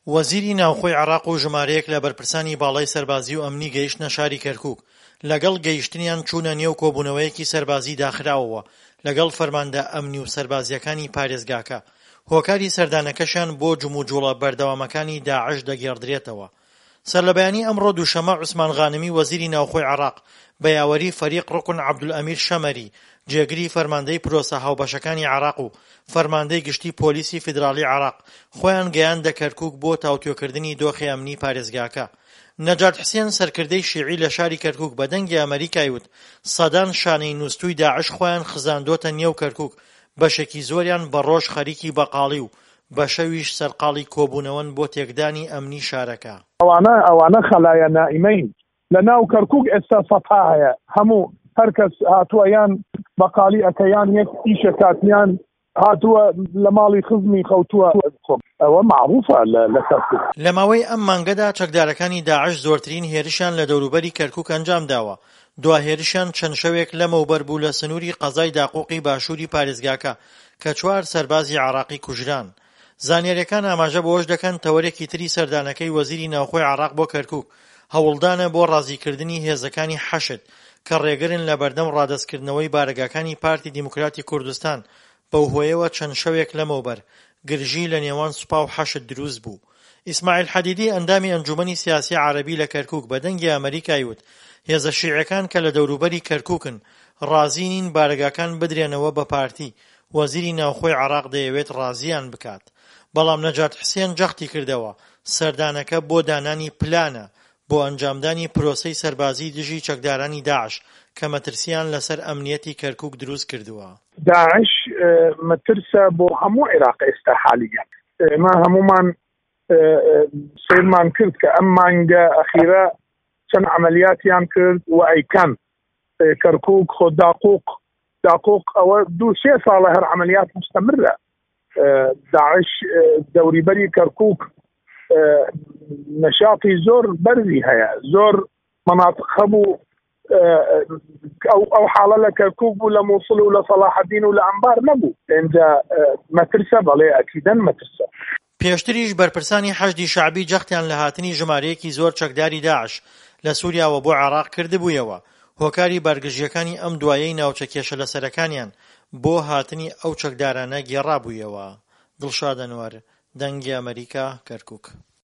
وەزیری ناوخۆی عێراق و ژمارەیەک لە بەرپرسانی باڵای سەربازی و ئەمنی گەیشتنە شاری کەرکووک، لەگەڵ گەیشتنیان چوونە نێو کۆبوونەوەیەکی سەربازی داخراوەوە لەگەڵ فەرماندە ئەمنی و سەربازییەکانی پارێزگاکە، هۆکاری سەردانەکەشیان بۆ جموجوڵە بەردەوامەکانی داعش دەگێڕدرێتەوە. سەرلەبەیانی ئەمڕۆ دووشەممە عوسمان غانمی وەزیری ناوخۆی عێراق بە یاوەری فەریق ڕوکن عەبدولئەمیر شەمەری جێگری فەرماندەی پرۆسە هاوبەشەکانی عێراق و فەرماندەی گشتی پۆلیسی فیدراڵی عێراق خۆیان گەیاندە کەرکوک بۆ تاوتوێکردنی دۆخی ئەمنی پارێزگاکە. نەجات حسێن سەرکردەی شیعی لە شاری کەرکوک بە دەنگی ئەمەریکای وت سەدان شانەی نوستووی داعش خۆیان خزاندۆتە نێو کەرکوک بەشێکی زۆریان بە ڕۆژ خەریکی بەقاڵی و بە شەویش سەرقاڵی کۆبوونەوەن بۆ تێکدانی ئەمنی شارەکە. ئەوانە ئەوانە خەلایا نائیمەین لە ناو کەرکوک ئێستا سەتا هەیە هەموو هەر کەس هاتووە یان بەقالی ئەکە یان یەک ئیشە کات یان هاتووە لە ماڵی خزمی خەوتووە ئەوە مەعروفە لە کەرکوک. لە ماوەی ئەم مانگەدا چەکدارەکانی داعش زۆرترین هێرشیان لە دەوروبەری کەرکوک ئەنجامداوە، دوا هێرشیان چەند شەوێک لەمەوبەر بوو لە سنووری قەزای داقوقی باشووری پارێزگاکە کە چوار سەربازی عێراقی کوژران. زانیارییەکان ئاماژە بەوەش دەکەن، تەوەرێکی تری سەردانەکەی وەزیری ناوخۆی عێراق بۆ کەرکوک، هەوڵدانە بۆ ڕازیکردنی هێزەکانی حەشد کە ڕێگرن لە بەردەم ڕادەستکردنەوەی بارەگاکانی پارتی دیموکراتی کوردستان، بەوهۆیەوە چەند شەوێک لەمەوبەر گرژی لە نێوان سوپا و حەشد دروست بوو. ئیسماعیل حەدیدی ئەندامی ئەنجومەنی سیاسی عەرەبی لە کەرکوک بە دەنگی ئەمەریکای وت هێزە شیعیەکان کە لە دەوروبەری کەرکوکن ڕازی نین بارەگاکان بدرێنەوە بە پارتی، وەزیری ناوخۆی عێراق دەیەوێت ڕازیان بکات. بەڵام نەجات حسێن جەختی کردەوە سەردانەکە بۆ دانانی پلانە بۆ ئەنجامدانی پرۆسەی سەربازی دژی چەکدارانی داعش کە مەترسییان لەسەر ئەمنیەتی کەرکوک دروست کردووە. داعش مەترسە بۆ هەموو عێراق ئێستا حالیەن. ئێمە هەموومان سەیرمان کرد کە ئەم مانگە ئەخیرە چەند عەمەلیاتیان کرد و ئەیکەن. کەرکوک خۆ داقوق داقوق ئەوە دوو سێ ساڵە هەر عەمەلیات مستەمرە. داعش دەوریبەری کەرکک نەشاتی زۆر بەرزی هەیە زۆر مناطق هەبوو ئەو ئەو حاڵە لە کەرکک بوو لە مووسڵ و لە سەڵاحەدین و لە ئەمبار نەبوو ئینجا مەترسە بەڵێ ئەکیدەن مەترسە. پێشتریش بەرپرسانی حەشدی شەعبی جەختیان لە هاتنی ژمارەیەکی زۆر چەکداری داعش لە سوریاوە بۆ عێراق کردبوویەوە، هۆکاری بارگرژییەکانی ئەم دوایەی ناوچە کێشەلەسەرەکانیان بۆ هاتنی ئەو چەکدارانە گێڕابوویەوە. دڵشاد ئەنوەر، دەنگی ئەمەریکا، کەرکوک.